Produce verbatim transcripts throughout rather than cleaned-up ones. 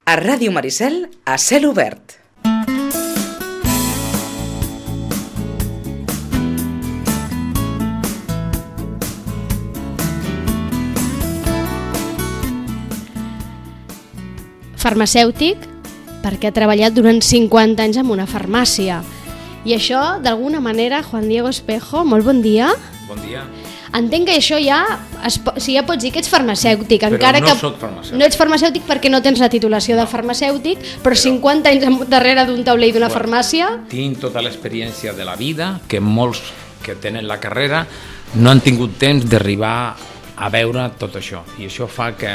A Ràdio Maricel, a cel obert. Farmacèutic, perquè ha treballat durant cinquanta anys en una farmàcia. I això, d'alguna manera, Juan Diego Espejo, molt bon dia. Bon dia. Entenc que això ja, es, o sigui, ja pots dir que ets farmacèutic. Però encara no que soc farmacèutic. No ets farmacèutic perquè no tens la titulació de farmacèutic, però, però cinquanta anys darrere d'un taulell d'una bueno, farmàcia... Tinc tota l'experiència de la vida, que molts que tenen la carrera no han tingut temps d'arribar a veure tot això. I això fa que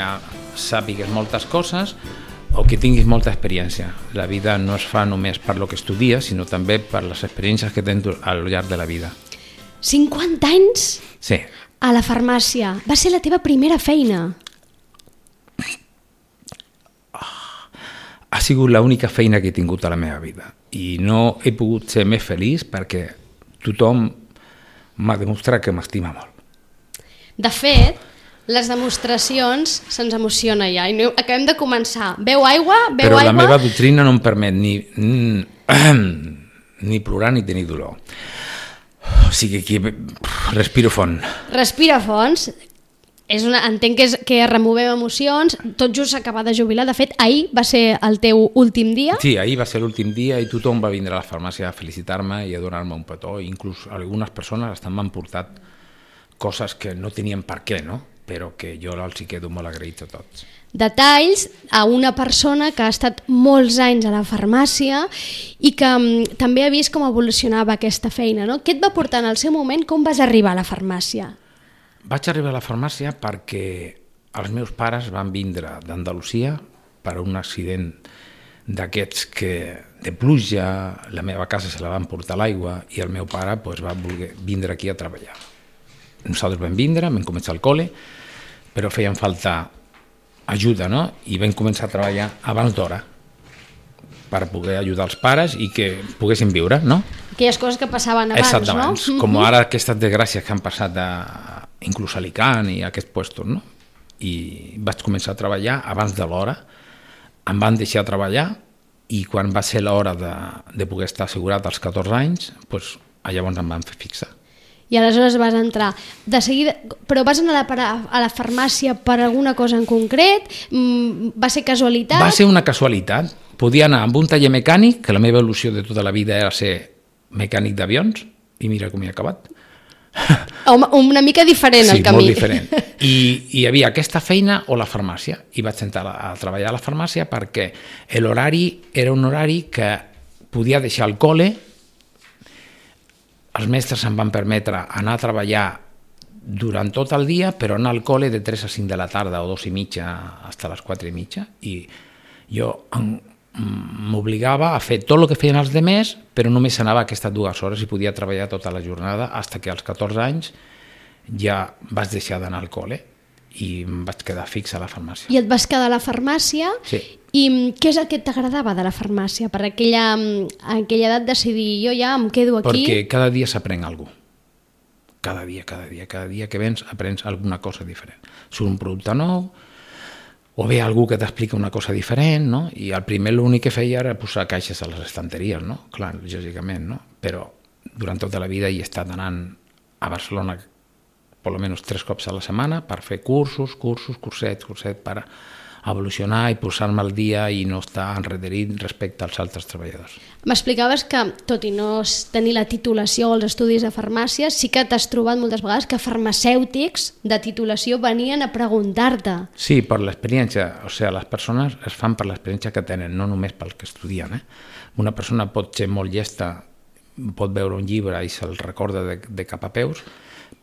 sàpigues moltes coses o que tinguis molta experiència. La vida no es fa només per lo que estudies, sinó també per les experiències que tens al llarg de la vida. cinquanta anys? Sí. A la farmàcia. Va ser la teva primera feina? Ha sigut l'única feina que he tingut a la meva vida. I no he pogut ser més feliç perquè tothom m'ha demostrat que m'estima molt. De fet, les demostracions se'ns emociona ja. I no, acabem de començar. Beu aigua, beu Però aigua... Però la meva doctrina no em permet ni, ni plorar ni tenir dolor. O sigui que respiro fons. Respira fons. És una, entenc que, és, que removem emocions. Tot just s'acaba de jubilar. De fet, ahir va ser el teu últim dia. Sí, ahir va ser l'últim dia i tothom va vindre a la farmàcia a felicitar-me i a donar-me un petó. Inclús algunes persones estan m'han portat coses que no tenien per què, no? Però que jo els hi quedo molt agraït a tots. Detalls a una persona que ha estat molts anys a la farmàcia i que um, també ha vist com evolucionava aquesta feina, no? Què et va portar en el seu moment? Com vas arribar a la farmàcia? Vaig arribar a la farmàcia perquè els meus pares van vindre d'Andalusia per un accident d'aquests que de pluja, la meva casa se la van portar l'aigua i el meu pare pues, va voler vindre aquí a treballar. Nosaltres vam vindre, vam començar al col·le, però feien falta ajuda, no? I vam començar a treballar abans d'hora per poder ajudar els pares i que poguessin viure, no? Aquelles coses que passaven abans, Exactament, no? Com ara aquestes desgràcies que han passat a, inclús a Alicant i a aquests puestos, no? I vaig començar a treballar abans de l'hora, em van deixar treballar i quan va ser l'hora de, de poder estar assegurat als catorze anys, doncs, llavors em van fer fixar. I aleshores vas entrar. De seguida, però vas anar a la, a la farmàcia per alguna cosa en concret? Va ser casualitat? Va ser una casualitat. Podia anar amb un taller mecànic, que la meva il·lusió de tota la vida era ser mecànic d'avions, i mira com he acabat. Home, una mica diferent sí, el camí. Sí, molt diferent. I hi havia aquesta feina o la farmàcia. I vaig entrar a treballar a la farmàcia perquè l'horari era un horari que podia deixar el col·le. Els mestres em van permetre anar a treballar durant tot el dia, però anar al col·le de tres a cinc de la tarda o dos i mitja fins a les quatre i mitja. I jo m'obligava a fer tot el que feien els altres, però només anava aquestes dues hores i podia treballar tota la jornada fins que als catorze anys ja vaig deixar d'anar al col·le i em vaig quedar fix a la farmàcia. I et vas quedar a la farmàcia? Sí. I què és el que t'agradava de la farmàcia? Per aquella, aquella edat decidir, jo ja em quedo aquí... Perquè cada dia s'aprèn alguna cosa. Cada dia, cada dia, cada dia que vens aprens alguna cosa diferent. Surt un producte nou, o ve algú que t'explica una cosa diferent, no? I al primer l'únic que feia era posar caixes a les estanteries, no? Clar, lògicament, no? Però durant tota la vida he estat anant a Barcelona per almenys tres cops a la setmana per fer cursos, cursos, cursets, cursets, per evolucionar i posar-me al dia i no estar enrederit respecte als altres treballadors. M'explicaves que, tot i no tenir la titulació o els estudis de farmàcia, sí que t'has trobat moltes vegades que farmacèutics de titulació venien a preguntar-te. Sí, per l'experiència. O sigui, les persones es fan per l'experiència que tenen, no només pel que estudien. Eh? Una persona pot ser molt llesta, pot veure un llibre i se'l recorda de, de cap a peus,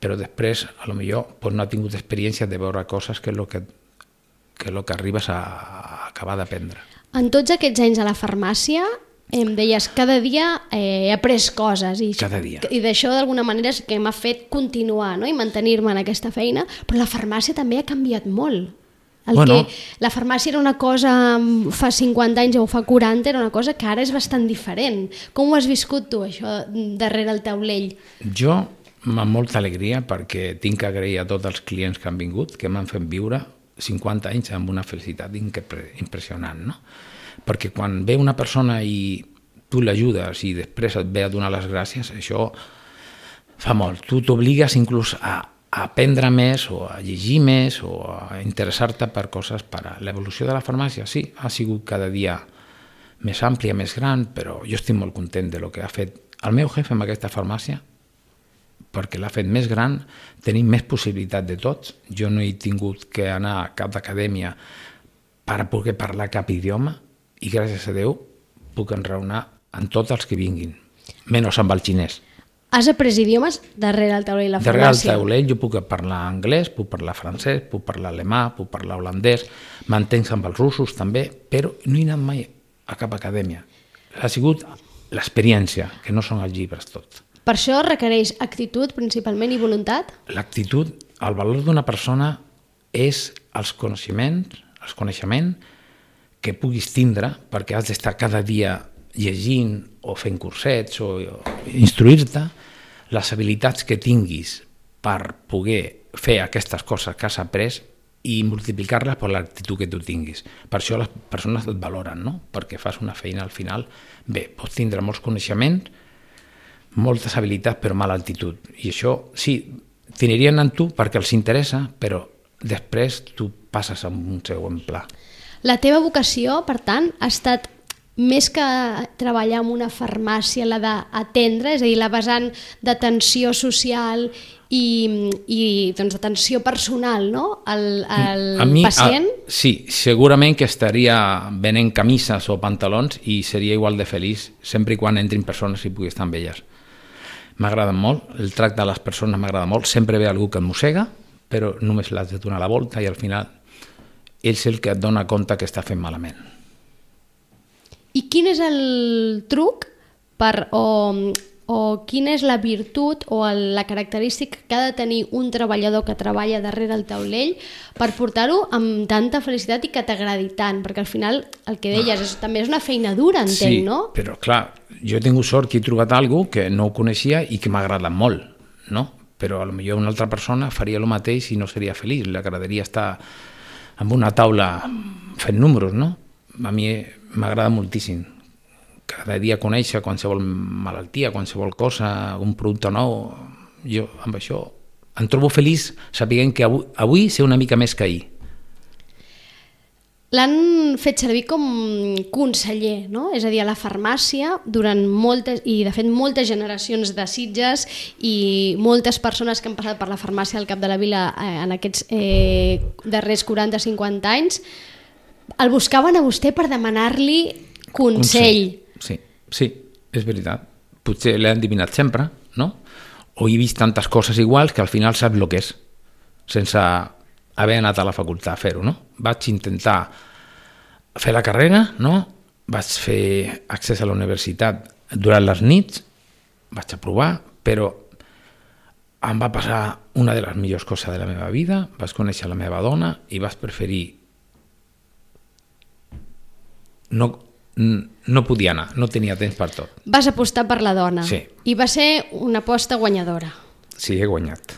però després, a lo millor, pues no ha tingut experiència de veure coses que és el que que és el que arribes a acabar d'aprendre. En tots aquests anys a la farmàcia, em deies, cada dia eh, he après coses. I, cada dia. I d'això, d'alguna manera, és que m'ha fet continuar, no? I mantenir-me en aquesta feina, però la farmàcia també ha canviat molt. El bueno, que la farmàcia era una cosa fa cinquanta anys o fa quaranta, era una cosa que ara és bastant diferent. Com ho has viscut tu, això, darrere el taulell? Jo, amb molta alegria, perquè tinc que agrair a tots els clients que han vingut, que m'han fet viure cinquanta anys amb una felicitat impressionant, no? Perquè quan ve una persona i tu l'ajudes i després et ve a donar les gràcies, això fa molt. Tu t'obligues inclús a, a aprendre més o a llegir més o a interessar-te per coses per a l'evolució de la farmàcia. Sí, ha sigut cada dia més àmplia, més gran, però jo estic molt content de lo que ha fet el meu jefe amb aquesta farmàcia, perquè l'ha fet més gran, tenim més possibilitat de tots. Jo no he tingut que anar a cap acadèmia per poder parlar cap idioma i gràcies a Déu puc enraonar amb tots els que vinguin, menys amb el xinès. Has après idiomes darrere el taulell, la darrere farmàcia? Darrere el taulell jo puc parlar anglès, puc parlar francès, puc parlar alemà, puc parlar holandès, m'entenc amb els russos també, però no he anat mai a cap acadèmia. Ha sigut l'experiència, que no són els llibres tots. Per això requereix actitud principalment i voluntat? L'actitud, el valor d'una persona és els coneixements, els coneixements que puguis tindre, perquè has d'estar cada dia llegint o fent cursets o, o instruir-te, les habilitats que tinguis per poder fer aquestes coses que has après i multiplicar-les per l'actitud que tu tinguis. Per això les persones et valoren, no? Perquè fas una feina al final. Bé, pots tindre molts coneixements, moltes habilitats però mala actitud, i això sí, t'anirien en tu perquè els interessa, però després tu passes a un segon pla. La teva vocació, per tant, ha estat més que treballar en una farmàcia, la d'atendre, és a dir, la vessant d'atenció social i, i doncs, d'atenció personal, no? al, al a mi, pacient? A, sí, segurament que estaria venent camises o pantalons i seria igual de feliç sempre i quan entrin persones i pugui estar amb elles. M'agrada molt, el tracte de les persones m'agrada molt, sempre ve algú que et mossega, però només l'has de donar la volta i al final és el que et dona compte que està fent malament. I quin és el truc per, o, o quina és la virtut o el, la característica que ha de tenir un treballador que treballa darrere el taulell per portar-ho amb tanta felicitat i que t'agradi tant? Perquè al final el que deies és, també és una feina dura, entenc, sí, no? Sí, però clar, jo he tingut sort que he trobat alguna cosa que no ho coneixia i que m'ha agradat molt, no? Però potser una altra persona faria el mateix i no seria feliç, li agradaria estar amb una taula fent números, no? A mi m'agrada moltíssim. Cada dia conèixer qualsevol malaltia, qualsevol cosa, un producte nou. Jo amb això em trobo feliç sapiguent que avui, avui sé una mica més que ahir. L'han fet servir com conseller, no? És a dir, a la farmàcia, durant moltes, i de fet moltes generacions de Sitges i moltes persones que han passat per la farmàcia al Cap de la Vila eh, en aquests eh, darrers quaranta a cinquanta anys, el buscaven a vostè per demanar-li consell. consell. Sí, sí, és veritat. Potser l'he endivinat sempre, no? O he vist tantes coses iguals que al final saps el que és, sense haver anat a la facultat a fer-ho, no? Vaig intentar fer la carrera, no? Vaig fer accés a la universitat durant les nits, vaig aprovar, però em va passar una de les millors coses de la meva vida, vaig conèixer la meva dona i vaig preferir no, no podia anar, no tenia temps per tot. Vas apostar per la dona. Sí. I va ser una aposta guanyadora. Sí, he guanyat.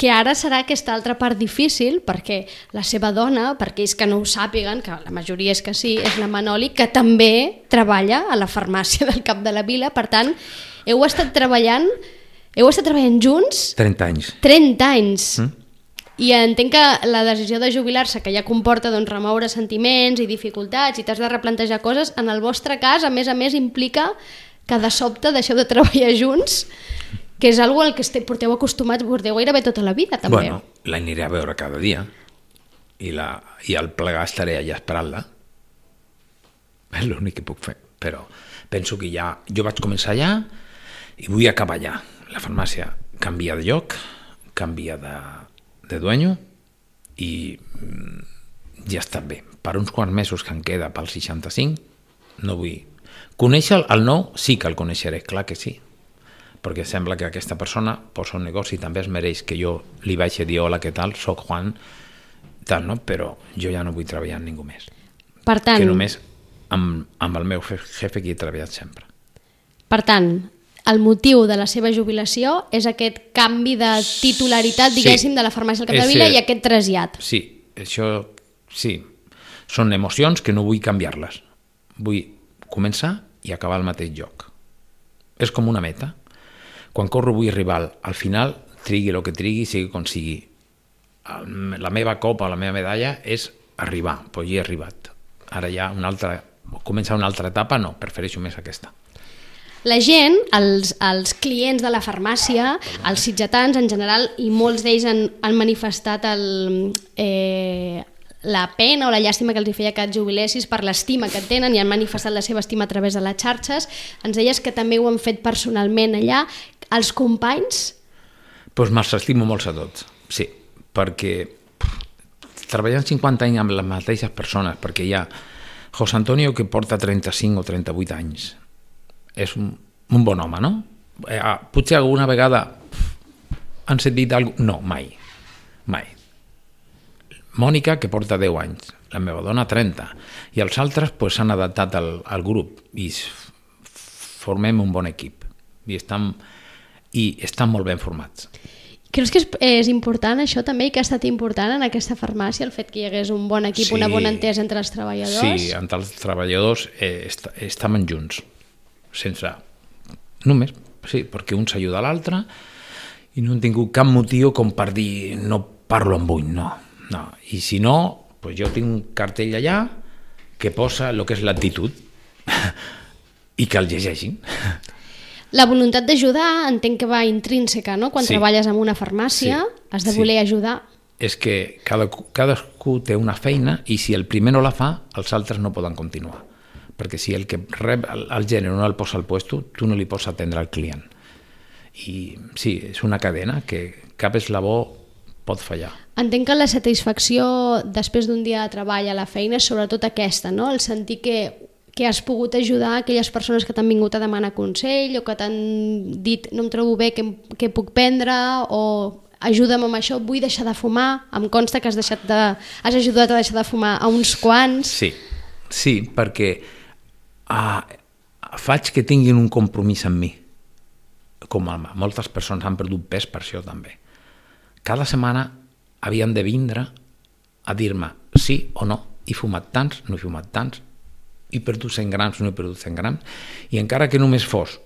Que ara serà aquesta altra part difícil, perquè la seva dona, per aquells que no ho sàpiguen, que la majoria és que sí, és la Manoli, que també treballa a la farmàcia del Cap de la Vila. Per tant, heu estat treballant, heu estat treballant junts? trenta anys. trenta anys. Mm? I entenc que la decisió de jubilar-se, que ja comporta doncs, remoure sentiments i dificultats i t'has de replantejar coses, en el vostre cas, a més a més, implica que de sobte deixeu de treballar junts, que és una cosa al que esteu, porteu acostumats, porteu gairebé tota la vida, també. Bueno, l'aniré a veure cada dia i, la, i al plegar estaré allà esperant-la. És l'únic que puc fer, però penso que ja... Jo vaig començar allà i vull acabar allà. La farmàcia canvia de lloc, canvia de... de dueño i ja està bé. Per uns quants mesos que em queda pel seixanta-cinc no vull... Conèixer el nou sí que el coneixeré, clar que sí, perquè sembla que aquesta persona posa un negoci i també es mereix que jo li vaig a dir hola, què tal, soc Juan, tal, no? Però jo ja no vull treballar amb ningú més. Per tant... Que només amb, amb el meu jefe que he treballat sempre. Per tant, el motiu de la seva jubilació és aquest canvi de titularitat, diguéssim, Sí. de la farmàcia del Capdevila És, i aquest trasllat. Sí, això sí. Són emocions que no vull canviar-les. Vull començar i acabar al mateix lloc. És com una meta. Quan corro vull arribar al, al final, trigui el que trigui, sigui com sigui. El, la meva copa, la meva medalla és arribar, però hi he arribat. Ara ja una altra, començar una altra etapa, no, prefereixo més aquesta. La gent, els, els clients de la farmàcia, els sitgetans en general, i molts d'ells han, han manifestat el, eh, la pena o la llàstima que els hi feia que et jubilessis per l'estima que et tenen i han manifestat la seva estima a través de les xarxes. Ens deies que també ho han fet personalment allà. Els companys? Doncs me'ls estimo molts a tots, sí, perquè pff, treballant cinquanta anys amb les mateixes persones, perquè hi ha José Antonio que porta trenta-cinc o trenta-vuit anys, és un, un bon home, no? Eh, potser alguna vegada han sentit alguna cosa? No, mai, mai. Mònica, que porta deu anys, la meva dona trenta, i els altres pues, s'han adaptat al, al grup i formem un bon equip i estan, i estan molt ben formats. Creus que és, és important això també i que ha estat important en aquesta farmàcia, el fet que hi hagués un bon equip, Sí. una bona entesa entre els treballadors? Sí, entre els treballadors eh, est estàvem junts, sense... Només, sí, perquè un s'ajuda a l'altre i no han tingut cap motiu com per dir no parlo amb un, no. no. I si no, pues jo tinc un cartell allà que posa el que és l'actitud i que el llegeixin. La voluntat d'ajudar entenc que va intrínseca, no? Quan Sí. treballes en una farmàcia Sí. has de Sí. voler ajudar. És que cada, cadascú té una feina i si el primer no la fa, els altres no poden continuar. Perquè si el que rep el, el gènere no el posa al puesto, tu no li pots atendre al client. I sí, és una cadena que cap eslabó pot fallar. Entenc que la satisfacció després d'un dia de treball a la feina és sobretot aquesta, no? El sentir que, que has pogut ajudar aquelles persones que t'han vingut a demanar consell o que t'han dit no em trobo bé, què, què puc prendre o ajuda'm amb això, vull deixar de fumar. Em consta que has, deixat de, has ajudat a deixar de fumar a uns quants. Sí, sí, perquè uh, faig que tinguin un compromís amb mi. Com a moltes persones han perdut pes per això també. Cada setmana havien de vindre a dir-me sí o no, he fumat tants, no he fumat tants, he perdut cent grams, no he perdut cent grams, i encara que només fos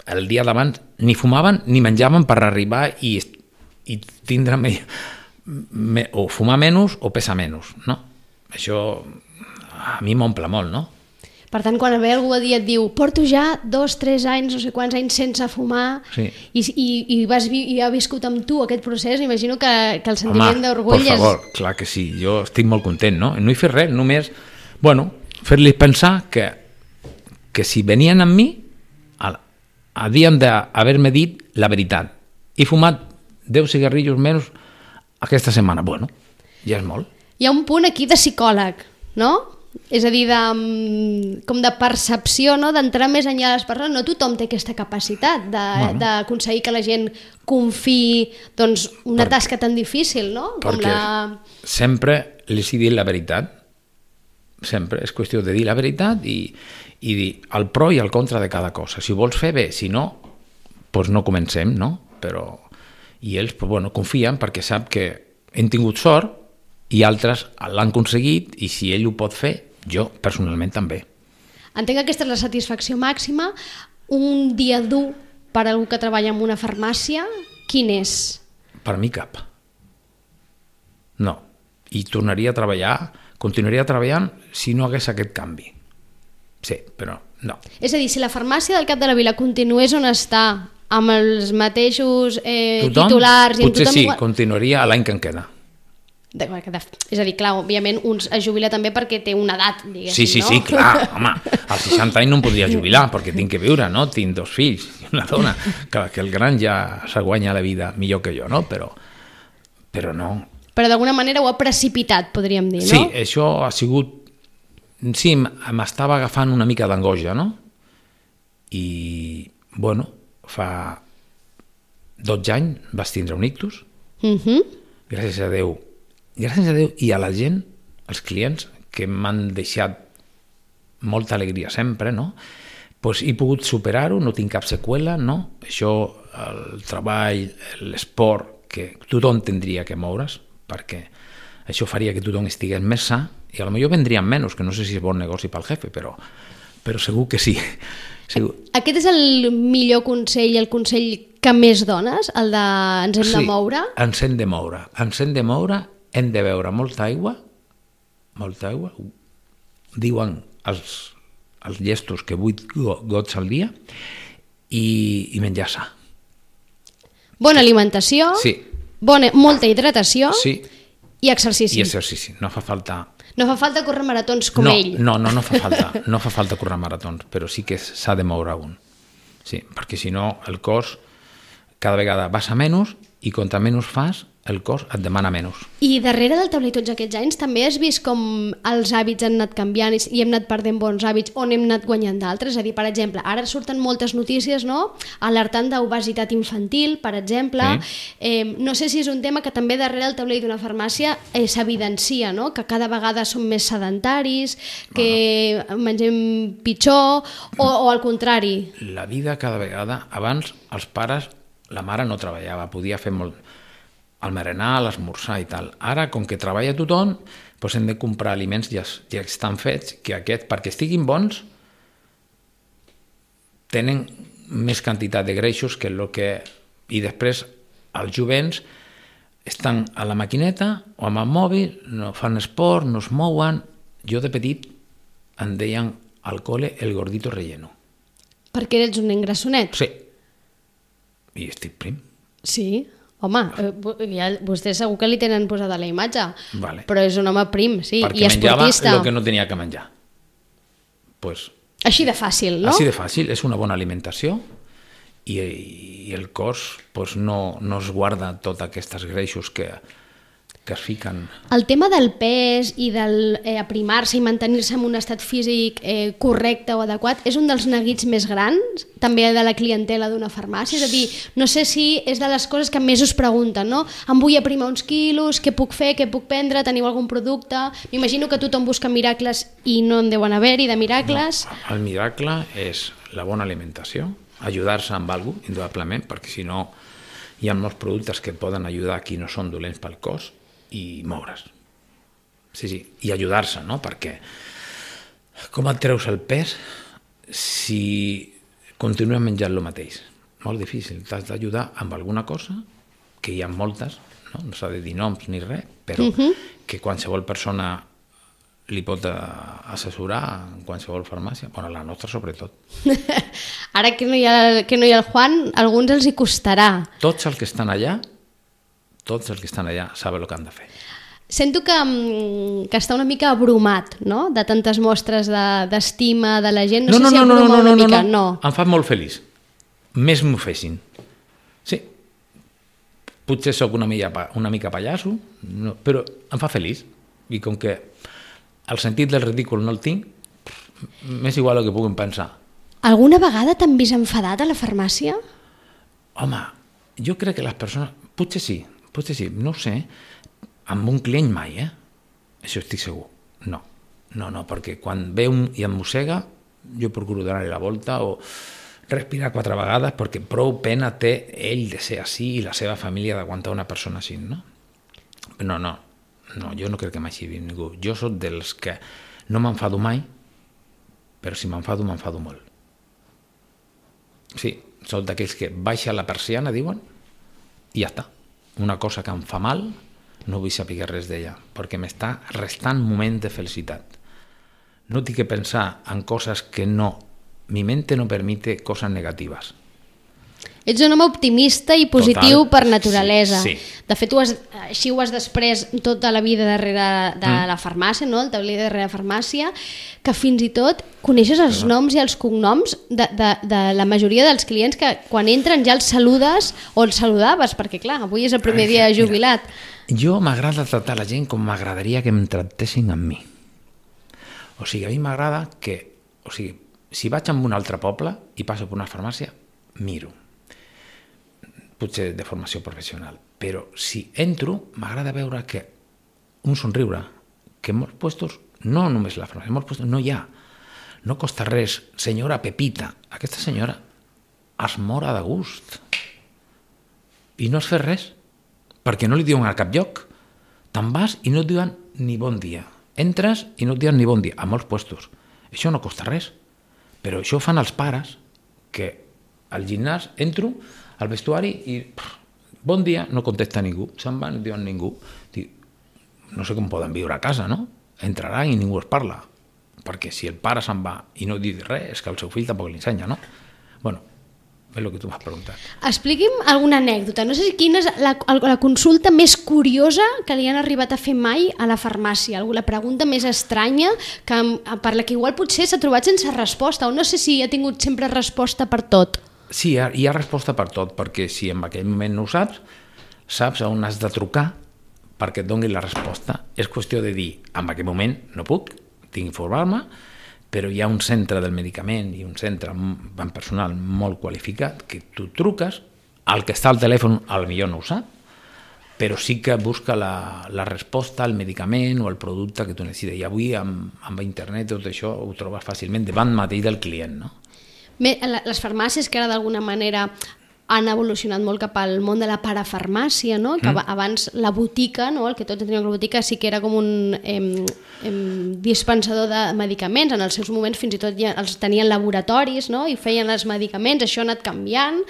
el dia d'abans, ni fumaven ni menjaven per arribar i, i tindre me, me, o fumar menys o pesar menys, no? Això a mi m'omple molt, no? Per tant, quan ve algú a dir et diu porto ja dos, tres anys, no sé quants anys sense fumar Sí. i, i, i, vas vi i ha viscut amb tu aquest procés, imagino que, que el sentiment d'orgull per favor, és... clar que sí, jo estic molt content, no? No he fet res, només, bueno, fer-li pensar que, que si venien amb mi, havien d'haver-me dit la veritat. He fumat deu cigarrillos menys aquesta setmana. Bueno, ja és molt. Hi ha un punt aquí de psicòleg, no? És a dir, de, com de percepció, no? D'entrar més enllà de les persones. No tothom té aquesta capacitat d'aconseguir bueno. que la gent confiï doncs, una per, tasca tan difícil, no? Com perquè la... sempre els he dit la veritat. Sempre és qüestió de dir la veritat i, i dir el pro i el contra de cada cosa. Si ho vols fer bé, si no, doncs no comencem, no? Però, i ells pues, bueno, confien perquè sap que hem tingut sort i altres l'han aconseguit i si ell ho pot fer, jo personalment també. Entenc que aquesta és la satisfacció màxima. Un dia dur per a algú que treballa en una farmàcia, quin és? Per mi cap. No. I tornaria a treballar, continuaria treballant si no hagués aquest canvi. Sí, però no. És a dir, si la farmàcia del Cap de la Vila continués on està, amb els mateixos eh, tothom, titulars... I potser tothom... sí, continuaria l'any que en queda. De, de, és a dir, clar, òbviament un es jubila també perquè té una edat, diguéssim, sí, sí, no? Sí, clar, home, als seixanta anys no em podria jubilar perquè tinc que viure, no? Tinc dos fills i una dona, que, que el gran ja se guanya la vida millor que jo, no? Però, però no. Però d'alguna manera ho ha precipitat, podríem dir, no? Sí, això ha sigut... Sí, m'estava agafant una mica d'angoixa, no? I, bueno, fa dotze anys vas tindre un ictus, uh-huh. gràcies a Déu, gràcies a Déu i a la gent, els clients, que m'han deixat molta alegria sempre, no? pues he pogut superar-ho, no tinc cap seqüela, no? Això, el treball, l'esport, que tothom tindria que moure's, perquè això faria que tothom estigués més sa, i potser vendrien menys, que no sé si és bon negoci pel jefe, però, però segur que sí. Segur. Aquest és el millor consell, el consell que més dones, el de ens hem sí, de moure? ens hem de moure. Ens hem de moure, hem de beure molta aigua, molta aigua, diuen els, els llestos que vuit gots al dia, i, i menjar sa. Bona alimentació, sí. bona, molta hidratació sí. i exercici. I exercici, no fa falta... No fa falta córrer maratons com no, ell. No, no, no fa falta, no fa falta córrer maratons, però sí que s'ha de moure un. Sí, perquè si no el cos cada vegada vas a menys i contra menys fas el cos et demana menys. I darrere del tauler tots aquests anys també has vist com els hàbits han anat canviant i hem anat perdent bons hàbits on hem anat guanyant d'altres? És a dir, per exemple, ara surten moltes notícies, no?, alertant d'obesitat infantil, per exemple. Sí. Eh, no sé si és un tema que també darrere del taulell d'una farmàcia eh, s'evidencia, no?, que cada vegada som més sedentaris, que bueno. mengem pitjor, o, o al contrari. La vida cada vegada... Abans els pares, la mare no treballava, podia fer molt... al berenar, a l'esmorzar i tal. Ara, com que treballa tothom, doncs hem de comprar aliments ja, ja estan fets, que aquest, perquè estiguin bons, tenen més quantitat de greixos que el que... I després, els jovents estan a la maquineta o amb el mòbil, no fan esport, no es mouen. Jo de petit em deien al col·le el gordito relleno. Perquè eres un nen grassonet? Sí. I estic prim. Sí. Home, ja, vostè segur que li tenen posada la imatge, vale. Però és un home prim, sí, perquè i esportista. Perquè menjava el que no tenia que menjar. Pues, així de fàcil, no? Així de fàcil, és una bona alimentació i, i el cos pues, no, no es guarda tots aquests greixos que, que es fiquen. El tema del pes i del eh, aprimar-se i mantenir-se en un estat físic eh, correcte o adequat és un dels neguits més grans, també de la clientela d'una farmàcia. És a dir, no sé si és de les coses que més us pregunten, no? Em vull aprimar uns quilos, què puc fer, què puc prendre, teniu algun producte? M'imagino que tothom busca miracles i no en deuen haver-hi de miracles. No, el miracle és la bona alimentació, ajudar-se amb alguna cosa, indudablement, perquè si no hi ha molts productes que poden ajudar a qui no són dolents pel cos, i moure's. Sí, sí, i ajudar-se, no? Perquè com et treus el pes si continues menjant el mateix? Molt difícil, t'has d'ajudar amb alguna cosa, que hi ha moltes, no, no s'ha de dir noms ni res, però uh-huh. que qualsevol persona li pot assessorar en qualsevol farmàcia, bueno, la nostra sobretot. Ara que no hi ha, que no hi ha el Juan, a alguns els hi costarà. Tots els que estan allà tots els que estan allà saben el que han de fer. Sento que, que està una mica abrumat, no?, de tantes mostres d'estima de, de la gent. No, no sé no, si no, no, no, una no, mica. No, no. Em fa molt feliç. Més m'ho fessin. Sí. Potser sóc una mica, una mica pallasso, no, però em fa feliç. I com que el sentit del ridícul no el tinc, m'és igual el que puguin pensar. Alguna vegada t'han vist enfadat a la farmàcia? Home, jo crec que les persones... Potser sí, potser sí, no ho sé, amb un client mai, eh? Això estic segur. No, no, no, perquè quan ve un i em mossega, jo procuro donar-li la volta o respirar quatre vegades, perquè prou pena té ell de ser així i la seva família d'aguantar una persona així, no? No, no, no, jo no crec que m'hagi vist ningú. Jo soc dels que no m'enfado mai, però si m'enfado, m'enfado molt. Sí, soc d'aquells que baixa la persiana, diuen, i ja està. Una cosa que em fa mal, no vull saber res d'ella, perquè m'està restant moment de felicitat. No tinc que pensar en coses que no, mi mente no permite coses negatives. Ets un home optimista i positiu Total, per naturalesa. Sí, sí. De fet, ho has, així ho has després tota la vida darrere de mm. la farmàcia, no? El taulell darrere la farmàcia, que fins i tot coneixes els no. noms i els cognoms de, de, de la majoria dels clients que quan entren ja els saludes o els saludaves, perquè clar, avui és el primer dia jubilat. Mira, jo m'agrada tractar la gent com m'agradaria que em tractessin amb mi. O sigui, a mi m'agrada que... O sigui, si vaig a un altre poble i passo per una farmàcia, miro. Potser de formació professional, però si entro m'agrada veure que un somriure, que en molts puestos, no només la farmàcia, en molts puestos no hi ha. no costa res, senyora Pepita. Aquesta senyora es mora de gust. I no has fet res, perquè no li diuen a cap lloc. Te'n vas i no et diuen ni bon dia. Entres i no et diuen ni bon dia, a molts puestos. Això no costa res. Però això ho fan els pares, que al gimnàs entro, al vestuari i pff, bon dia, no contesta ningú. Se'n van i no diuen ningú. Dic, no sé com poden viure a casa, no? Entraran i ningú es parla. Perquè si el pare se'n va i no diu res, és que el seu fill tampoc li ensenya, no? Bueno, és el que tu m'has preguntat. Expliqui'm alguna anècdota. No sé quina és la, la consulta més curiosa que li han arribat a fer mai a la farmàcia. La pregunta més estranya que, per la que igual potser s'ha trobat sense resposta, o no sé si ha tingut sempre resposta per tot. Sí, hi ha, hi ha resposta per tot, perquè si en aquell moment no ho saps, saps on has de trucar perquè et doni la resposta. És qüestió de dir, en aquell moment no puc, tinc d'informar-me, però hi ha un centre del medicament i un centre en personal molt qualificat que tu truques, el que està al telèfon potser no ho sap, però sí que busca la, la resposta al medicament o al producte que tu necessites. I avui amb, amb internet tot això ho trobes fàcilment davant mateix del client, no? Bé, les farmàcies que ara d'alguna manera han evolucionat molt cap al món de la parafarmàcia, no? Que mm. abans la botica, no? El que tots teníem la botica sí que era com un eh, eh, dispensador de medicaments. En els seus moments fins i tot ja els tenien laboratoris, no? I feien els medicaments, això ha anat canviant.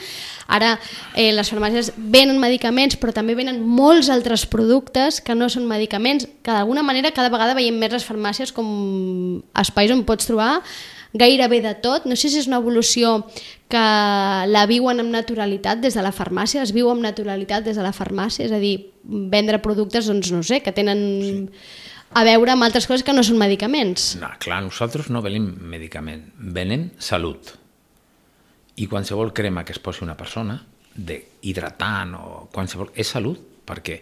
Ara eh, les farmàcies venen medicaments però també venen molts altres productes que no són medicaments, que d'alguna manera cada vegada veiem més les farmàcies com espais on pots trobar gairebé de tot. No sé si és una evolució que la viuen amb naturalitat des de la farmàcia, es viu amb naturalitat des de la farmàcia, és a dir, vendre productes, doncs no sé, que tenen sí. a veure amb altres coses que no són medicaments. No, clar, nosaltres no venim medicament, venem salut. I qualsevol crema que es posi una persona, hidratant o qualsevol, és salut, perquè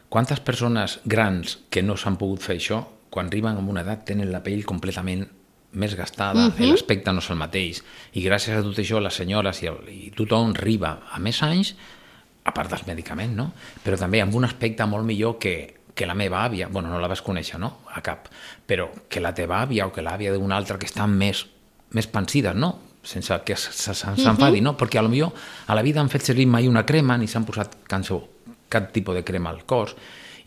quantes persones grans que no s'han pogut fer això, quan arriben a una edat tenen la pell completament més gastada, uh-huh. l'aspecte no és el mateix, i gràcies a tot això les senyores i, el, i tothom arriba a més anys, a part dels medicaments, no? Però també amb un aspecte molt millor que, que la meva àvia, bueno, no la vas conèixer, no? A cap, però que la teva àvia o que l'àvia d'una altra que estan més, més pensides, no? Sense que s'enfadi, no? Perquè potser a la vida han fet servir mai una crema ni s'han posat cap tipus de crema al cos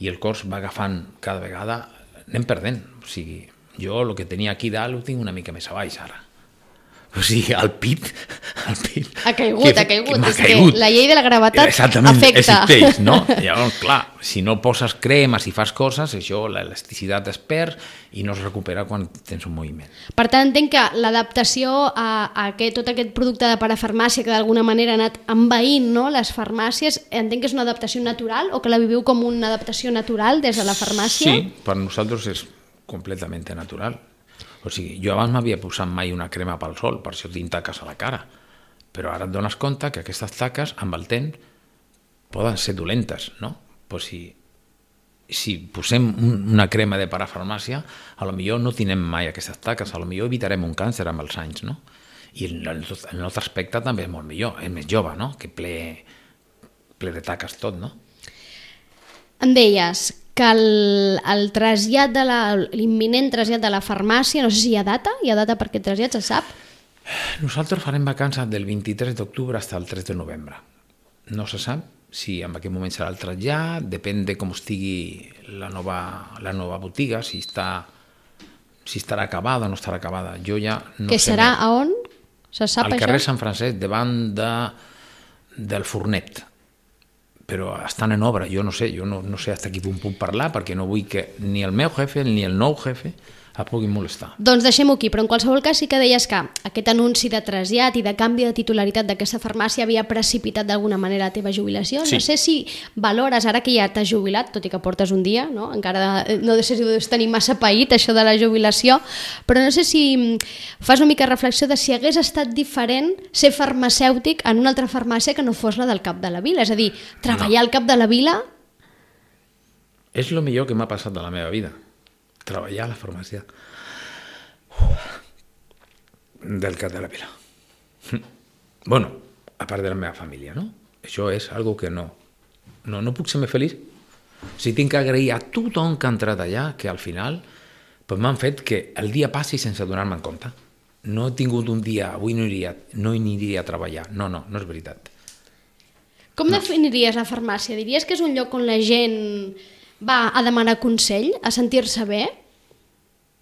i el cos va agafant cada vegada, anem perdent, o sigui, jo el que tenia aquí dalt ho tinc una mica més a baix ara. O sigui, el pit... El pit ha caigut, que, ha caigut. És caigut. Que la llei de la gravetat exactament, afecta. Existeix, no? Llavors, clar, si no poses cremes i fas coses, això, l'elasticitat es perd i no es recupera quan tens un moviment. Per tant, entenc que l'adaptació a, a aquest, tot aquest producte de parafarmàcia que d'alguna manera ha anat envaint, no, les farmàcies, entenc que és una adaptació natural o que la viviu com una adaptació natural des de la farmàcia? Sí, per nosaltres és completament natural. O sigui, jo abans m'havia posat mai una crema pel sol, per això tinc taques a la cara, però ara et dones compte que aquestes taques amb el temps poden ser dolentes, no? Però si, si posem una crema de parafarmàcia, a lo millor no tindrem mai aquestes taques, a lo millor evitarem un càncer amb els anys, no? I el, el nostre aspecte també és molt millor, és més jove, no? Que ple, ple de taques tot, no? Em deies que el, el trasllat de la, l'imminent trasllat de la farmàcia, no sé si hi ha data, hi ha data per aquest trasllat, se sap? Nosaltres farem vacances del vint-i-tres d'octubre fins al tres de novembre. No se sap si en aquest moment serà el trasllat, depèn de com estigui la nova, la nova botiga, si, està, si estarà acabada o no estarà acabada. Jo ja no que sé serà més. A on? Se sap al això? Al carrer Sant Francesc, davant de, del Fornet. Però estan en obra, jo no sé, jo no, no sé fins aquí puc parlar perquè no vull que ni el meu jefe ni el nou jefe es puguin molestar. Doncs deixem-ho aquí, però en qualsevol cas sí que deies que aquest anunci de trasllat i de canvi de titularitat d'aquesta farmàcia havia precipitat d'alguna manera la teva jubilació. Sí. No sé si valores, ara que ja t'has jubilat, tot i que portes un dia, no? Encara no sé si ho deus tenir massa paït, això de la jubilació, però no sé si fas una mica reflexió de si hagués estat diferent ser farmacèutic en una altra farmàcia que no fos la del Cap de la Vila. És a dir, treballar no. al Cap de la Vila... És el millor que m'ha passat de la meva vida. Treballar a la farmàcia Uf. del Cap de la Vila. Bueno, a part de la meva família, no? Això és algo que no, no, no puc ser més feliç. O sigui, tinc que agrair a tothom que ha entrat allà, que al final pues, m'han fet que el dia passi sense donar-me en compte. no he tingut un dia, avui no iria, no aniria a treballar. No, no, no és veritat. Com no. definiries la farmàcia? Diries que és un lloc on la gent va a demanar consell, a sentir-se bé?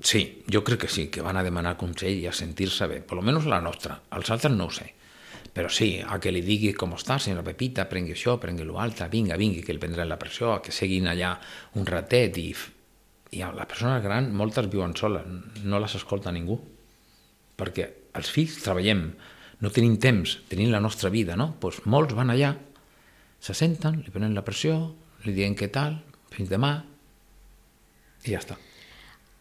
Sí, jo crec que sí, que van a demanar consell i a sentir-se bé, per almenys la nostra. Els altres no ho sé. Però sí, a que li digui com està, senyora Pepita, prengui això, prengui l'altre, vinga, vingui, que li prendrà la pressió, a que seguin allà un ratet i... I les persones grans, moltes viuen soles, no les escolta ningú. Perquè els fills treballem, no tenim temps, tenim la nostra vida, no? Doncs molts van allà, se senten, li prenen la pressió, li diuen què tal, fins demà, i ja està.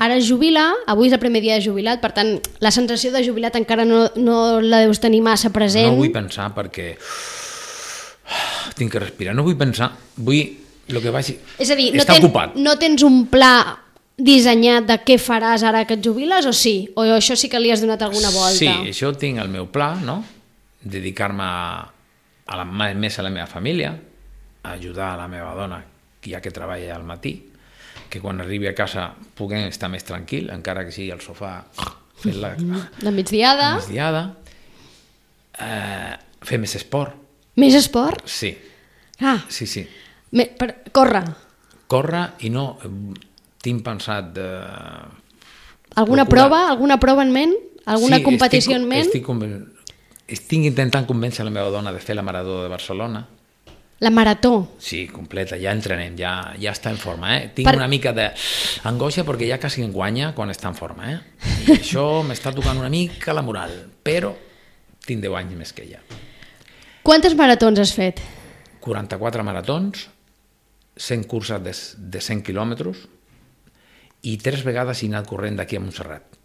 Ara es jubila, avui és el primer dia de jubilat, per tant, la sensació de jubilat encara no, no la deus tenir massa present. No vull pensar perquè tinc que respirar, no vull pensar, vull... Lo que vaig... És a dir, no, està ten, ocupat. no tens un pla dissenyat de què faràs ara que et jubiles o sí? O això sí que li has donat alguna volta? Sí, això tinc el meu pla, no? Dedicar-me a la, més a la meva família, a ajudar a la meva dona, ja que treballa al matí, que quan arribi a casa puguem estar més tranquil, encara que sigui al sofà fent la, la migdiada. La migdiada. Eh, fer més esport. Més esport? Sí. Ah. Sí, sí. Me, per, corre. Corre i no... Tinc pensat de... Alguna procurar... prova? Alguna prova en ment? Alguna sí, competició estic, en ment? Estic, conven... estic intentant convèncer la meva dona de fer la marató de Barcelona. La marató? Sí, completa, ja entrenem, ja, ja està en forma. Eh? Tinc per... una mica d'angoixa perquè ja quasi en guanya quan està en forma. Eh? I això m'està tocant una mica la moral, però tinc deu anys més que ella. Quantes maratons has fet? quaranta-quatre maratons, cent curses de, de cent quilòmetres i tres vegades he anat corrent d'aquí a Montserrat.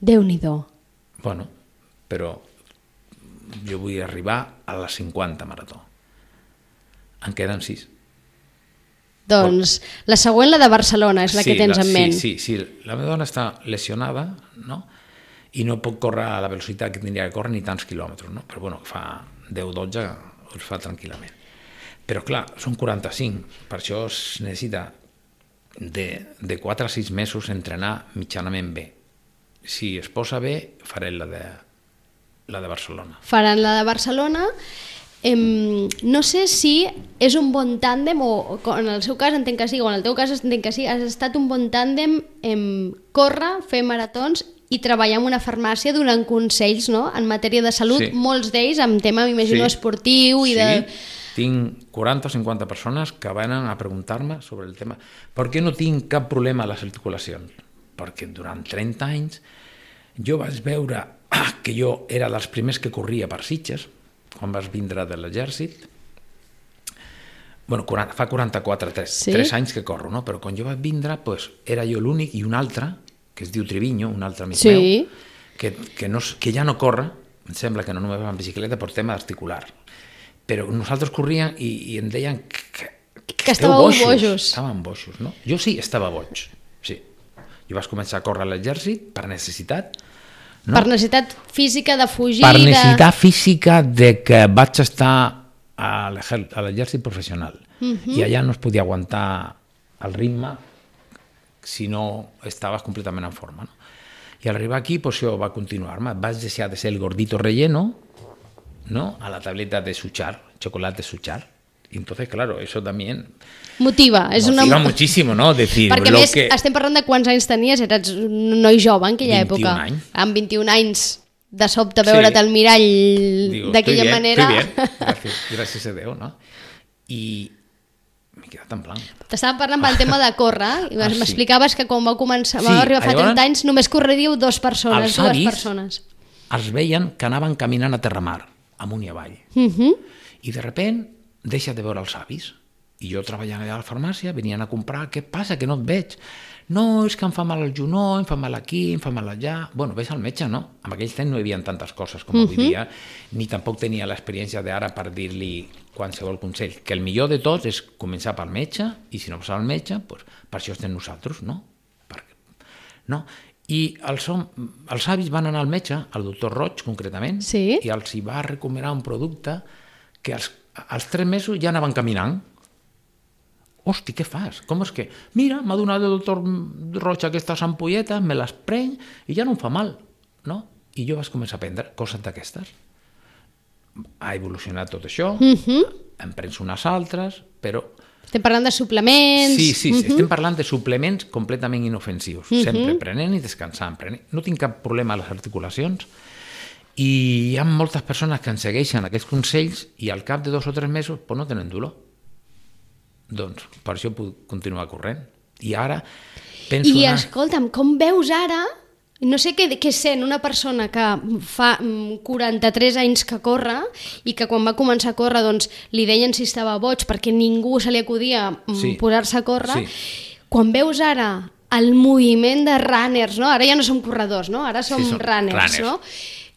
Déu-n'hi-do. Bueno, però jo vull arribar a les cinquanta marató. En queden sis. Doncs la següent, la de Barcelona, és la sí, que tens la, en ment. Sí, sí, sí. La meva dona està lesionada, no? I no pot córrer a la velocitat que tindria que córrer ni tants quilòmetres, no? Però bueno, fa deu dotze els fa tranquil·lament. Però clar, són quaranta-cinc, per això es necessita de, de quatre a sis mesos entrenar mitjanament bé. Si es posa bé, faré la de, la de Barcelona. Faran la de Barcelona. Em, no sé si és un bon tàndem, o, o en el seu cas entenc que sí, o en el teu cas entenc que sí, has estat un bon tàndem en córrer, fer maratons i treballar en una farmàcia donant consells, no?, en matèria de salut, sí. Molts d'ells amb tema, m'imagino, sí. esportiu i sí. de... Tinc quaranta o cinquanta persones que venen a preguntar-me sobre el tema. Per què no tinc cap problema a les articulacions? Perquè durant trenta anys jo vaig veure que jo era dels primers que corria per Sitges, quan vas vindre de l'exèrcit. Bueno, fa quaranta-quatre, tres, sí? tres anys que corro, no? Però quan jo vaig vindre, pues, era jo l'únic i un altre, que es diu Triviño, un altre amic sí. meu, que, que, no, que ja no corre, em sembla que no només va en bicicleta per tema articular. Però nosaltres corríem i, i em deien que, que, que estàveu bojos. bojos. Estàvem bojos, no? Jo sí, estava boig, sí. Jo vaig començar a córrer a l'exèrcit per necessitat. No? Per necessitat física de fugir... Per necessitat de... física de que vaig estar a l'exèrcit professional. Uh-huh. I allà no es podia aguantar el ritme si no estaves completament en forma, no? I al arribar aquí, pues, jo va continuar-me. Vaig deixar de ser el gordito relleno, ¿no?, a la tableta de Suchar, chocolate Suchar. Y entonces, claro, eso también motiva, és motiva una... muchísimo, ¿no? Decir, perquè lo més que... estem parlant de quants anys tenies, eres un noi jove en aquella època. vint i un anys. Amb vint i un anys, de sobte veure't al mirall d'aquella manera... Estoy bien, gràcies, gràcies a Déu, no? I m'he quedat en blanc. T'estàvem parlant pel tema de córrer, i ah, m'explicaves sí. que quan vau començar, sí, vau arribar fa llavors, trenta anys, només correríeu dues persones, dues avis, persones. Els veien que anaven caminant a terramar, amunt i avall. Uh-huh. I de repent deixa de veure els avis. I jo treballant allà a la farmàcia, venien a comprar, què passa, que no et veig? No, és que em fa mal el genoll, em fa mal aquí, em fa mal allà... Bueno, ves al metge, no? En aquell temps no hi havia tantes coses com uh-huh. avui dia, ni tampoc tenia l'experiència d'ara per dir-li qualsevol consell. Que el millor de tot és començar pel metge, i si no passa el metge, doncs per això estem nosaltres, no? Perquè, no? I els, els avis van anar al metge, al doctor Roig concretament, sí? i els hi va recomanar un producte que als, als tres mesos ja anaven caminant. Hosti, què fas? Com és que... Mira, m'ha donat el doctor Roig aquestes ampolletes, me les prenc i ja no em fa mal. no? I jo vaig començar a aprendre coses d'aquestes. Ha evolucionat tot això, Uh-huh. hem pres unes altres, però... Estem parlant de suplements... Sí, sí, Uh-huh. estem parlant de suplements completament inofensius, sempre prenent i descansant. Prenent. No tinc cap problema a les articulacions i hi ha moltes persones que ens segueixen aquests consells i al cap de dos o tres mesos pues, no tenen dolor. Doncs per això puc continuar corrent. I ara penso... I anar... escolta'm, com veus ara... No sé què, què sent una persona que fa mm, quaranta-tres anys que corre i que quan va començar a córrer doncs, li deien si estava boig perquè ningú se li acudia mm, Sí. posar-se a córrer. Sí. Quan veus ara el moviment de runners, no? Ara ja no som corredors, no? Ara som Sí, són runners, runners. no?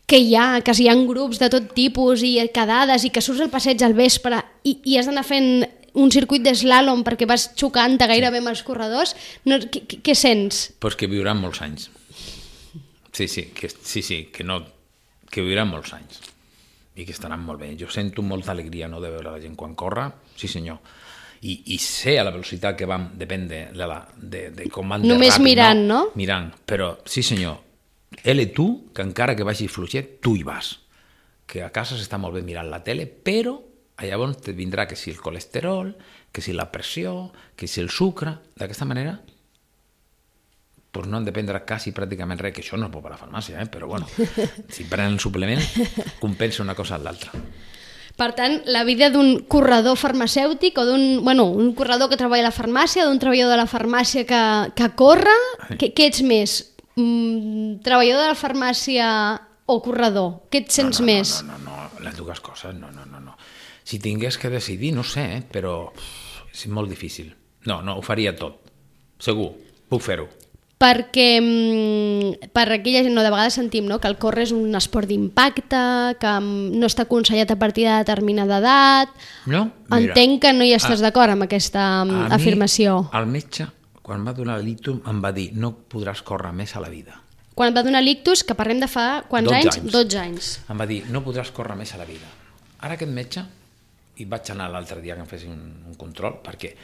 Que hi ha, que hi ha grups de tot tipus i quedades i que surts al passeig al vespre i, i has d'anar fent un circuit d'eslàlom perquè vas xocant-te gairebé amb els corredors. No, què, què- què sents? Pues que viuran molts anys. Sí, sí, que, sí, sí, que, no, que viuran molts anys i que estaran molt bé. Jo sento molta alegria no, de veure la gent quan corre, sí senyor. I, i sé a la velocitat que vam, depèn de, de, la, de, de com van de Només ràpid, mirant, no? Mirant, però sí senyor, ell i tu, que encara que vagi fluixet, tu hi vas. Que a casa s'està molt bé mirant la tele, però llavors te vindrà que si el colesterol, que si la pressió, que si el sucre, d'aquesta manera pues no han de prendre quasi pràcticament res, que això no es pot per la farmàcia, eh? Però bueno, si prenen el suplement, compensa una cosa amb l'altra. Per tant, la vida d'un corredor farmacèutic o d'un, bueno, un corredor que treballa a la farmàcia, d'un treballador de la farmàcia que, que corre, què, què ets més? Mm, treballador de la farmàcia o corredor? Què et sents no, no, més? No, no, no, no, les dues coses, no, no, no, no. Si tingués que decidir, no sé, eh? Però uf, és molt difícil. No, no, ho faria tot. Segur, puc fer-ho. Perquè mm, per aquella gent, no, de vegades sentim no, que el córrer és un esport d'impacte, que mm, no està aconsellat a partir de determinada edat. No? Mira, Entenc que no hi estàs a- d'acord amb aquesta mm, a mi, afirmació. El metge, quan va donar l'ictus, em va dir no podràs córrer més a la vida. Quan et va donar l'ictus, que parlem de fa quants dotze anys? anys. dotze anys. Em va dir, no podràs córrer més a la vida. Ara aquest metge, i vaig anar l'altre dia que em fessin un, un control, perquè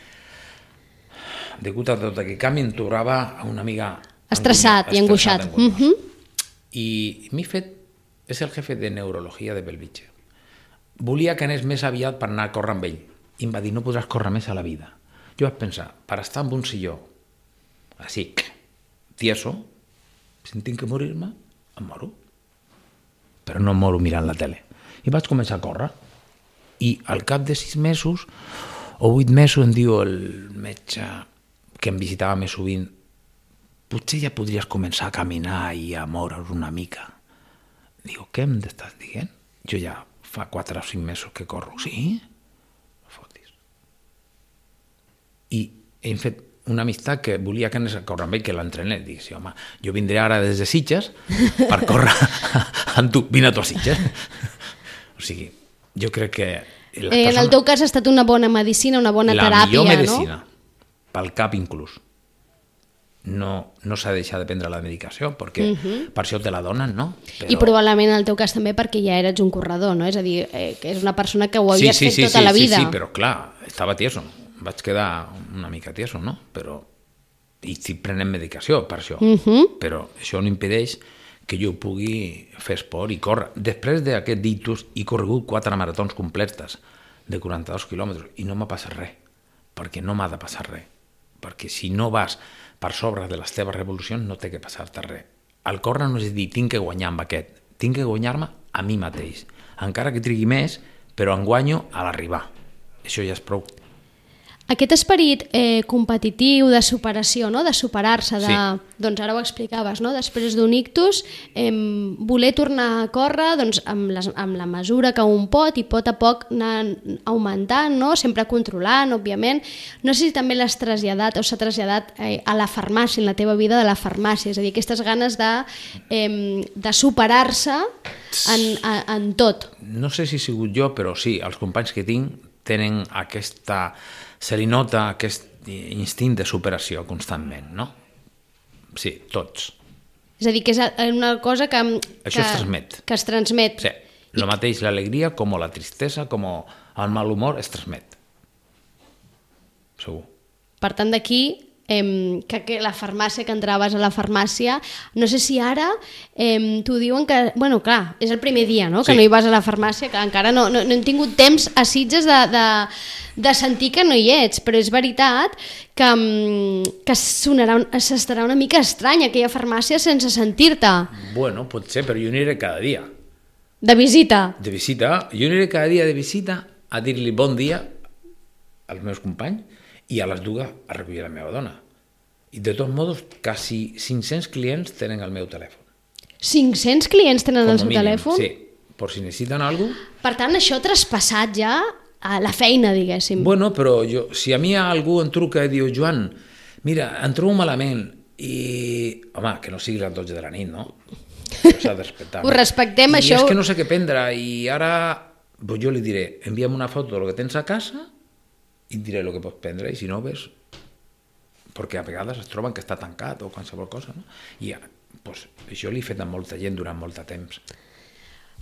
degut a tot aquest canvi em trobava una mica... Estressat angunia- i angoixat. estressat, angoixat. Mhm. I mi fet és el jefe de neurologia de Bellvitge. Volia que anés més aviat per anar a córrer amb ell. I em va dir, no podràs córrer més a la vida. Jo vaig pensar, per estar en un silló, així, tieso, si tinc que morir-me, em moro. Però no em moro mirant la tele. I vaig començar a córrer. I al cap de sis mesos o vuit mesos em diu el metge que em visitava més sovint, potser ja podries començar a caminar i a moure's una mica. Digo, què em estàs dient? Jo ja fa quatre o cinc mesos que corro. Sí? No fotis. I hem fet una amistat que volia que anés a córrer amb ell, que l'entrené. Dic, sí, home, jo vindré ara des de Sitges per córrer amb tu. Vine a tu a Sitges. O sigui, jo crec que... Les Eh, en el teu cas ha estat una bona medicina, una bona la teràpia, millor medicina, no? pel cap inclús. No, no s'ha de deixar de prendre la medicació, perquè uh -huh. per això te la donen, no? I probablement en el teu cas també perquè ja eres un corredor, no? És a dir, eh, que és una persona que ho havies sí, sí, fet sí, tota sí, la vida. Sí, sí, però clar, estava tieso. Vaig quedar una mica tieso, no? Però... I estic prenent medicació per això. Uh -huh. Però això no impedeix que jo pugui fer esport i córrer. Després d'aquest ictus he corregut quatre maratons completes de quaranta-dos quilòmetres i no m'ha passat res, perquè no m'ha de passar res. Perquè si no vas per sobre de les teves revolucions no té que passar-te res. El córrer no és dir, tinc que guanyar amb aquest, tinc que guanyar-me a mi mateix. Encara que trigui més, però en guanyo a l'arribar. Això ja és prou. Aquest esperit eh, competitiu de superació, no? De superar-se, de... Sí. doncs ara ho explicaves, no? Després d'un ictus, eh, voler tornar a córrer doncs, amb, les, amb la mesura que un pot i pot a poc anar augmentant, no? Sempre controlant, òbviament. No sé si també l'has traslladat o s'ha traslladat eh, a la farmàcia, en la teva vida de la farmàcia, és a dir, aquestes ganes de, eh, de superar-se en, en, en tot. No sé si he sigut jo, però sí, els companys que tinc tenen aquesta... Se li nota aquest instint de superació constantment, no? Sí, tots. És a dir, que és una cosa que... Això que, es transmet. Que es transmet. Sí, el mateix l'alegria com la tristesa, com el mal humor es transmet. Segur. Per tant, d'aquí eh, que, que la farmàcia, que entraves a la farmàcia, no sé si ara eh, t'ho diuen que, bueno, clar, és el primer dia, no?, que Sí. no hi vas a la farmàcia, que encara no, no, no hem tingut temps a Sitges de, de, de sentir que no hi ets, però és veritat que, mm, que sonarà, s'estarà una mica estrany aquella farmàcia sense sentir-te. Bueno, pot ser, però jo aniré cada dia. De visita. De visita. Jo aniré cada dia de visita a dir-li bon dia als meus companys i a les dues a recollir la meva dona. I de tots modos, quasi cinc-cents clients tenen el meu telèfon. cinc-cents clients tenen Com el a seu mínim, telèfon? Sí, per si necessiten alguna cosa. Per tant, això ha traspassat ja a la feina, diguéssim. Bueno, però jo, si a mi algú em truca i diu Joan, mira, em trobo malament i... Home, que no sigui les dotze de la nit, no? S'ha de respectar. Ho respectem, I això... és que no sé què prendre i ara pues jo li diré, envia'm una foto del que tens a casa i et diré el que pots prendre i si no ves, perquè a vegades es troben que està tancat o qualsevol cosa, no? I pues, això l'he fet amb molta gent durant molt de temps.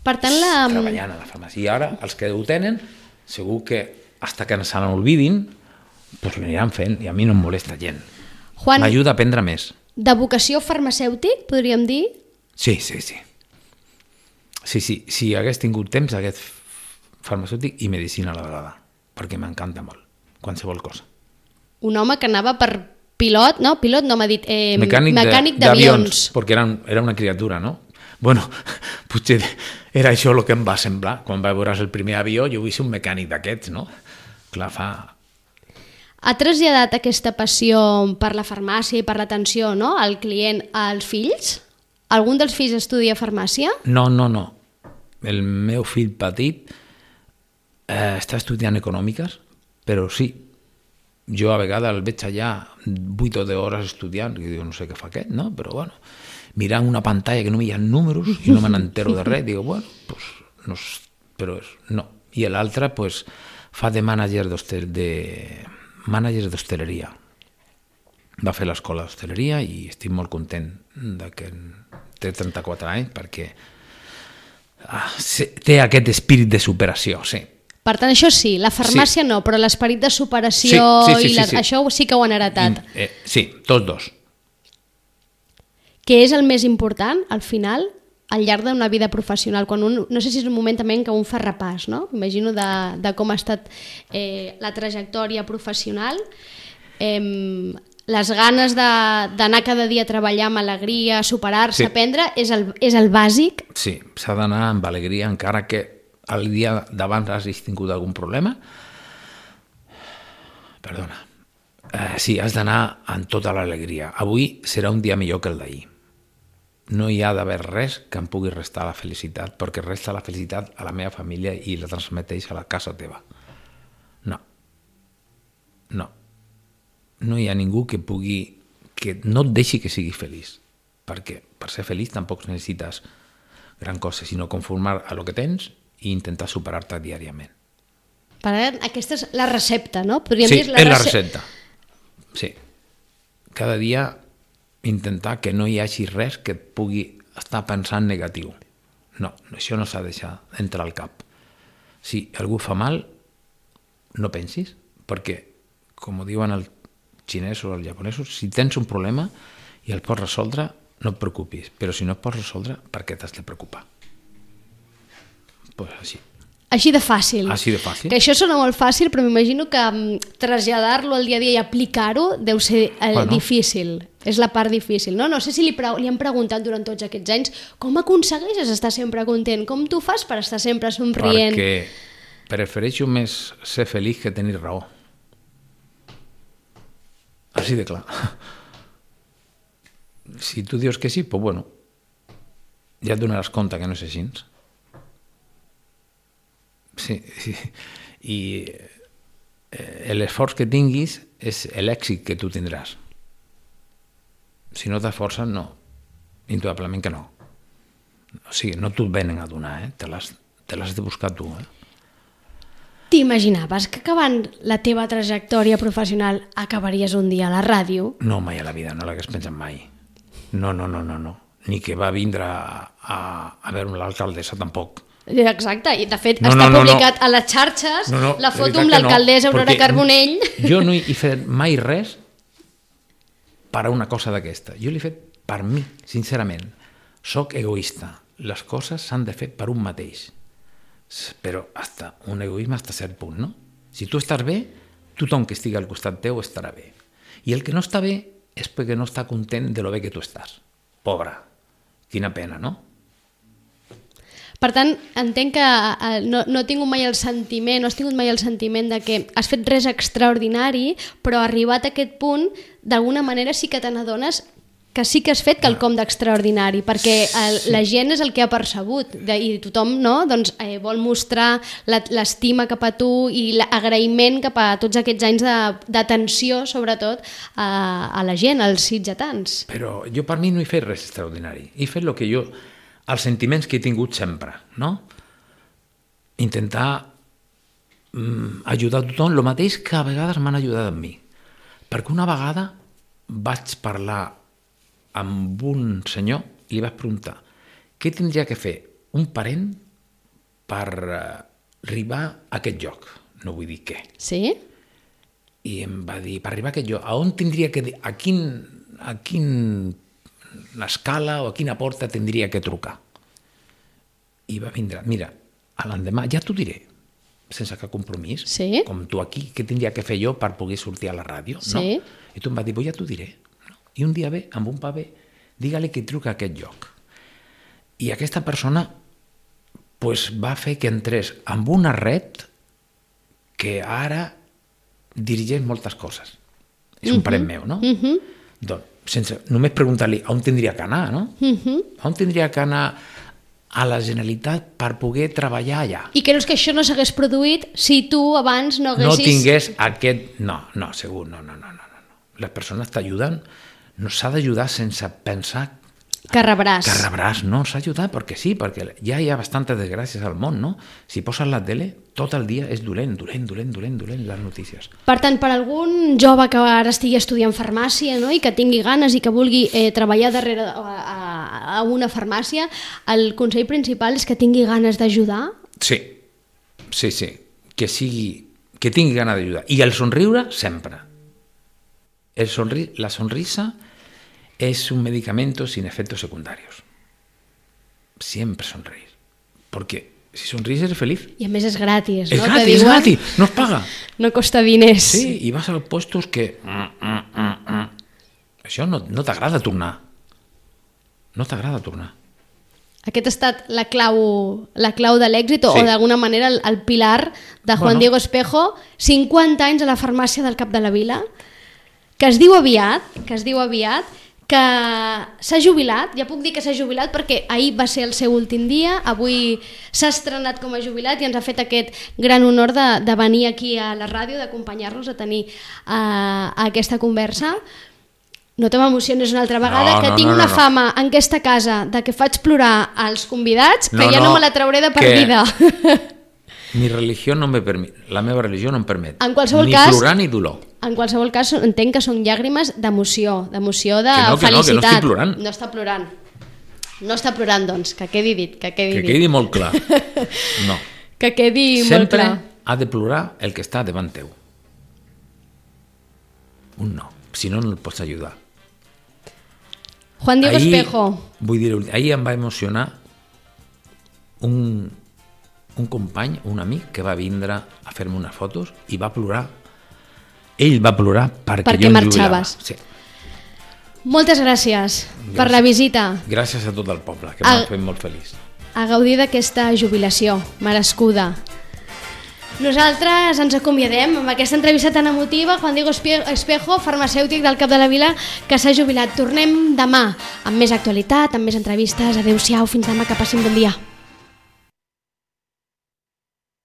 Per tant, la... Treballant a la farmàcia. I ara, els que ho tenen, segur que hasta que se n'olvidin, pues l'aniran fent i a mi no em molesta gent. Juan, M'ajuda a aprendre més. de vocació farmacèutic, podríem dir? Sí, sí, sí. Sí, sí. Si hagués tingut temps, hagués farmacèutic i medicina a la vegada, perquè m'encanta molt, qualsevol cosa. Un home que anava per pilot, no? Pilot no m'ha dit, eh, Mecànic, mecànic de- d'avions. perquè era, era una criatura, no? Bueno, potser era això el que em va semblar. Quan va veure el primer avió, jo vull ser un mecànic d'aquests, no? Clar, fa... Ha traslladat aquesta passió per la farmàcia i per l'atenció, no?, al client als fills? Algun dels fills estudia farmàcia? No, no, no. El meu fill petit eh, està estudiant econòmiques, però sí, jo a vegades el veig allà vuit o deu hores estudiant, i diu, no sé què fa aquest, no? Però bueno, mirant una pantalla que no hi ha números i no me n'entero de res, digo, bueno, pues, no, s- però és, no. I l'altre, pues, fa de mànager d'hostel, de mànager d'hostaleria. Va fer l'escola d'hostaleria i estic molt content de que té trenta-quatre anys perquè ah, se- té aquest espírit de superació, sí. Per tant, això sí, la farmàcia no, però l'esperit de superació Sí, sí, sí, i la, sí, sí. això sí que ho han heretat. I, eh, sí, tots dos. Què és el més important, al final, al llarg d'una vida professional? Quan un, no sé si és un moment també en què un fa repàs, no? Imagino de, de com ha estat eh, la trajectòria professional, eh, les ganes de- d'anar cada dia a treballar amb alegria, superar-se, Sí. aprendre, és el, és el bàsic. Sí, s'ha d'anar amb alegria, encara que el dia d'abans hagis tingut algun problema. Perdona. Eh, sí, has d'anar amb tota l'alegria. Avui serà un dia millor que el d'ahir. No hi ha d'haver res que em pugui restar la felicitat, perquè resta la felicitat a la meva família i la transmeteix a la casa teva. No. No. No hi ha ningú que pugui... que no et deixi que siguis feliç. Perquè per ser feliç tampoc necessites gran cosa, sinó conformar a lo que tens i intentar superar-te diàriament. Per tant, aquesta és la recepta, no? Podríem Sí, dir és la rece- recepta. Sí. Cada dia intentar que no hi hagi res que et pugui estar pensant negatiu. No, això no s'ha de deixar entrar al cap. Si algú fa mal, no pensis, perquè, com ho diuen els xinesos o els japonesos, si tens un problema i el pots resoldre, no et preocupis, però si no et pots resoldre, per què t'has de preocupar? Pues així. Així de fàcil. Així de fàcil. Que això sona molt fàcil, però m'imagino que mm, traslladar-lo al dia a dia i aplicar-ho deu ser eh, Bueno. difícil. És la part difícil, no? No sé si li, pre li han preguntat durant tots aquests anys com aconsegueixes estar sempre content, com tu fas per estar sempre somrient. Perquè prefereixo més ser feliç que tenir raó. Així de clar. Si tu dius que sí, pues bueno, ja et donaràs compte que no és així. Sí, sí. I eh, l'esforç que tinguis és l'èxit que tu tindràs. Si no t'esforces, no. Indudablement que no. O sigui, no t'ho venen a donar, eh? Te l'has te l'has de buscar tu, eh? T'imaginaves que acabant la teva trajectòria professional acabaries un dia a la ràdio? No, mai a la vida, no l'hagués pensat mai. No, no, no, no, no. Ni que va vindre a, a, a veure l'alcaldessa, tampoc. Exacte, i de fet No, està no, no, publicat no. a les xarxes No, no, la de foto veritat amb que no, l'alcaldessa Aurora perquè Carbonell. Jo no he fet mai res per a una cosa d'aquesta. Jo l'he fet per mi, sincerament. Soc egoista. Les coses s'han de fer per un mateix. Però hasta un egoisme hasta cert punt, no? Si tu estàs bé, tothom que estigui al costat teu estarà bé. I el que no està bé és perquè no està content de lo bé que tu estàs. Pobre. Quina pena, no? Per tant, entenc que eh, no, no he tingut mai el sentiment, no has tingut mai el sentiment de que has fet res extraordinari, però arribat a aquest punt, d'alguna manera sí que te n'adones que sí que has fet quelcom d'extraordinari, perquè el, sí. la gent és el que ha percebut de, i tothom no? doncs, eh, vol mostrar l'estima cap a tu i l'agraïment cap a tots aquests anys d'atenció, sobretot, a, a la gent, als sitgetans. Però jo per mi no he fet res extraordinari. He fet el que jo... els sentiments que he tingut sempre, no? Intentar mm, ajudar a tothom, el mateix que a vegades m'han ajudat a mi. Perquè una vegada vaig parlar amb un senyor i li vaig preguntar què tindria que fer un parent per arribar a aquest lloc, no vull dir què. Sí? I em va dir, per arribar a aquest lloc, a on tindria que... a quin... a quin l'escala o a quina porta tindria que trucar. I va vindre, mira, a l'endemà ja t'ho diré, sense cap compromís, sí? com tu aquí, què tindria que fer jo per poder sortir a la ràdio? Sí. No? I tu em va dir, ja t'ho diré. No? I un dia ve, amb un paper, digue-li que truca a aquest lloc. I aquesta persona pues, va fer que entrés amb una red que ara dirigeix moltes coses. És un uh-huh. parent meu, no? Uh-huh. Doncs, sense només preguntar-li on tindria que anar, no? Uh-huh. On tindria que anar a la Generalitat per poder treballar allà. I creus que això no s'hagués produït si tu abans no haguessis... No tingués aquest... No, no, segur, no, no, no, no. no. Les persones t'ajuden, no s'ha d'ajudar sense pensar... Que rebràs. Que rebràs, no, s'ha d'ajudar perquè sí, perquè ja hi ha bastantes desgràcies al món, no? Si poses la tele, tot el dia és dolent, dolent, dolent, dolent, dolent, les notícies. Per tant, per algun jove que ara estigui estudiant farmàcia, no?, i que tingui ganes i que vulgui eh, treballar darrere a, a, a una farmàcia, el consell principal és que tingui ganes d'ajudar? Sí, sí, sí, que sigui, que tingui ganes d'ajudar. I el somriure, sempre. El sonri... La sonrisa es un medicamento sin efectos secundarios. Siempre sonreír. Porque si sonríes eres feliz. I a més és gratis, és no? Gratis, diuen... és gratis, no es paga. No costa diners. Sí, i vas a puestos que... Mm, mm, mm, mm. Això no, no t'agrada tornar. No t'agrada tornar. Aquest ha estat la clau, la clau de l'èxit sí. o d'alguna manera el, el pilar de Juan bueno. Diego Espejo, cinquanta anys a la farmàcia del Cap de la Vila, que es diu aviat, que es diu aviat, que s'ha jubilat, ja puc dir que s'ha jubilat perquè ahir va ser el seu últim dia, avui s'ha estrenat com a jubilat i ens ha fet aquest gran honor de, de venir aquí a la ràdio, d'acompanyar-nos a tenir uh, aquesta conversa. No te m'emociones una altra vegada, no, que no, tinc no, una no. fama en aquesta casa de que faig plorar als convidats, que no, ja no, no me la trauré de per que... vida. Mi religió no me permet, la meva religió no em permet en qualsevol ni cas, plorar ni dolor. En qualsevol cas, entenc que són llàgrimes d'emoció, d'emoció de que no, que felicitat. No, que no estic plorant. No està plorant. No està plorant, doncs, que quedi dit. Que quedi, que dit. quedi molt clar. No. Que quedi Sempre molt clar. ha de plorar el que està davant teu. Un no, si no, no el pots ajudar. Juan Diego ahí, Espejo. Vull dir, ahir em va emocionar un, un company, un amic, que va vindre a fer-me unes fotos i va plorar. Ell va plorar perquè, perquè jo em jubilava. Sí. Moltes gràcies, gràcies per la visita. Gràcies a tot el poble, que m'ha fet molt feliç. A gaudir d'aquesta jubilació merescuda. Nosaltres ens acomiadem amb aquesta entrevista tan emotiva. Juan Diego Espejo, farmacèutic del Cap de la Vila, que s'ha jubilat. Tornem demà amb més actualitat, amb més entrevistes. Adéu-siau, fins demà, que passin bon dia.